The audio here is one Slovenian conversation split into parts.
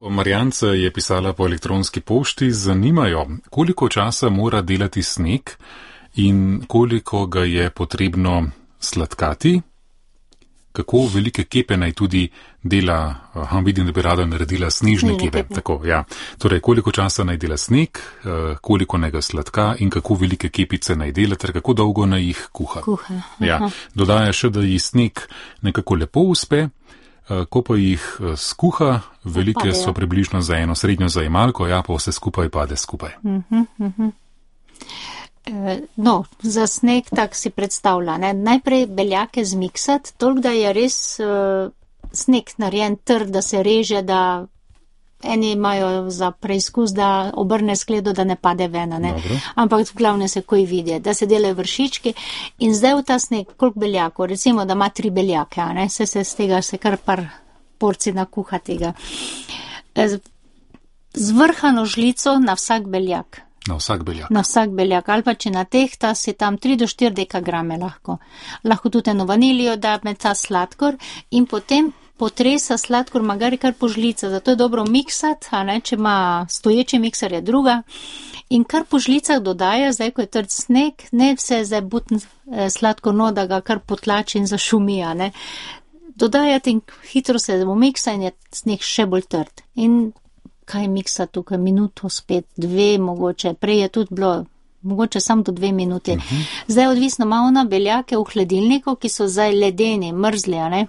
Marjance je pisala po elektronski pošti, zanimajo, koliko časa mora delati sneg in koliko ga je potrebno sladkati, kako velike kepe naj tudi dela, vidim, da bi rada naredila snežne kepe. Tako, ja. Torej, koliko časa naj dela sneg, koliko naj ga sladka in kako velike kepice naj dela, ter kako dolgo naj jih kuha. Ja. Dodaja še, da ji sneg nekako lepo uspe. Ko pa jih skuha, velike so približno za eno srednjo zajemalko, ja, pa vse skupaj pade skupaj. No, za sneg tak si predstavlja, ne? Najprej beljake zmiksati, toliko da je res sneg narejen trd, da se reže, da eni imajo za preizkus, da obrne skledo, da ne pade ven, ne? Ampak v glavnem se koji vidi, da se delajo vršički in zdaj v ta sneg, koliko beljakov, recimo, da ima 3 beljake, ne? Se z tega se kar par porcij nakuha tega. Zvrhano žlico na vsak beljak. Na vsak beljak. Na vsak beljak, ali pa če na tehta si tam 3 do 4 dekagrame lahko. Lahko tudi eno vanilijo da med ta sladkor in potem potresa sladkor magari kar po žlica, zato je dobro miksati, a ne, če ima stoječi mikser je druga. In kar po žlicah dodaja, zdaj ko je trd sneg, ne vse zdaj butn sladkor no, da ga kar potlači in zašumi, a ne. Dodajati in hitro se umiksa in je sneg še bolj trd. In kaj miksa tukaj, minuto, spet 2 mogoče, prej je tudi bilo, mogoče samo do 2 minuti. Zdaj odvisno malo na beljake v hladilniku, ki so zdaj ledeni, mrzli, a ne.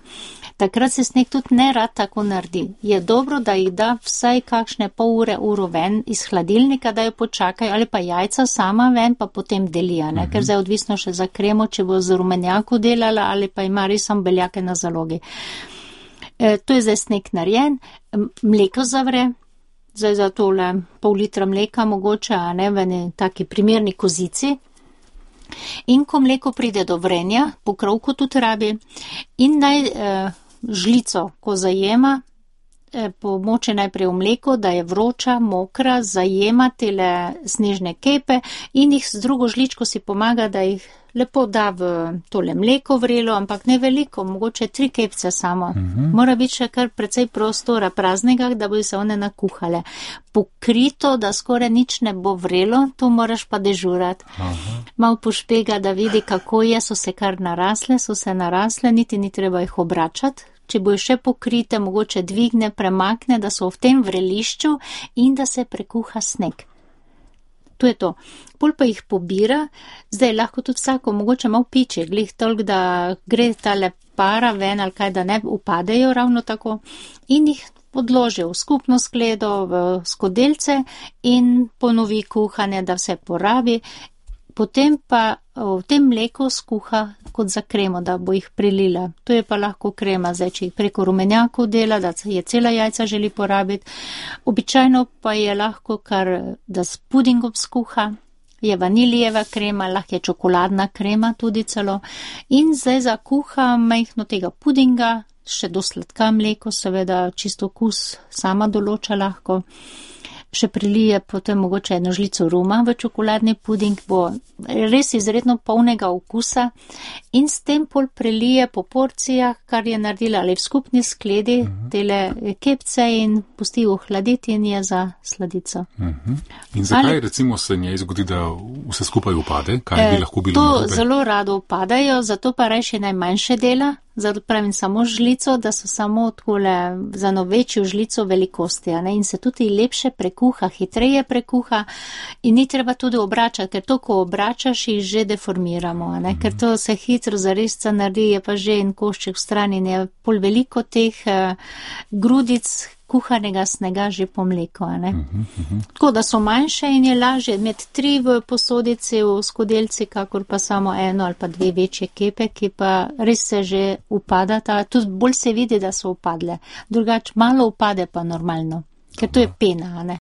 Takrat se sneg tudi ne rad tako naredi. Je dobro, da jih da vsaj kakšne pol ure, uro ven iz hladilnika, da jo počakajo, ali pa jajca sama ven, pa potem delija, ne, ker zdaj odvisno še za kremo, če bo z rumenjaku delala, ali pa ima res samo beljake na zalogi. To je zdaj sneg narejen, mleko zavre, zdaj za tole pol litra mleka mogoče, a ne, v eni taki primerni kozici. In ko mleko pride do vrenja, pokrovko tudi rabi, in naj žlico, ko zajema, pomoče najprej v mleko, da je vroča, mokra, zajema tele snežne kepe in jih z drugo žličko si pomaga, da jih lepo da v tole mleko vrelo, ampak ne veliko, mogoče 3 kepce samo. Mora biti še kar precej prostora praznega, da bo se one nakuhale. Pokrito, da skoraj nič ne bo vrelo, to moraš pa dežurati. Mal pošpega, da vidi, kako je, so se kar narasle, niti ni treba jih obračati. Če bo še pokrite, mogoče dvigne, premakne, da so v tem vrelišču in da se prekuha sneg. To je to. Pol pa jih pobira, zdaj lahko tudi vsako, mogoče malo piče, glih toliko, da gre tale para ven ali kaj, da ne upadejo ravno tako in jih odloži v skupno skledo, v skodelice in ponovi kuhanje, da vse porabi. Potem pa v tem mleku skuha kot za kremo, da bo jih prilila. To je pa lahko krema, zdaj, če jih preko rumenjakov dela, da je cela jajca želi porabiti. Običajno pa je lahko kar, da s pudingom skuha, je vanilijeva krema, lahko je čokoladna krema tudi celo. In zdaj zakuha majhno tega pudinga, še do sladka mleko, seveda čisto okus sama določa lahko. Še prilije potem mogoče eno žlico ruma v čokoladni puding, bo res izredno polnega okusa in s tem pol prilije po porcijah, kar je naredila ali v skupni skledi, tele kepce in pusti ohladiti in je za sladico. In zakaj recimo se njej zgodi, da vse skupaj upade? Kaj bi lahko bilo narobe? To zelo rado upadajo, zato pa reši najmanjše dela. Zato pravim samo žlico, da so samo takole za eno večjo žlico velikosti, ne? In se tudi lepše prekuha, hitreje prekuha in ni treba tudi obračati, ker to, ko obračaš, jih že deformiramo, ne? Ker to se hitro zaresca naredi, je pa že en košček v strani, je pol veliko teh grudic kuhanega snega že po mleku, ne. Tako da so manjše in je lažje imeti 3 v posodici, v skodelici, kakor pa samo 1 ali pa 2 večje kepe, ki pa res se že upadata, tudi bolj se vidi, da so upadle. Drugače malo upade pa normalno, ker to je pena, ne.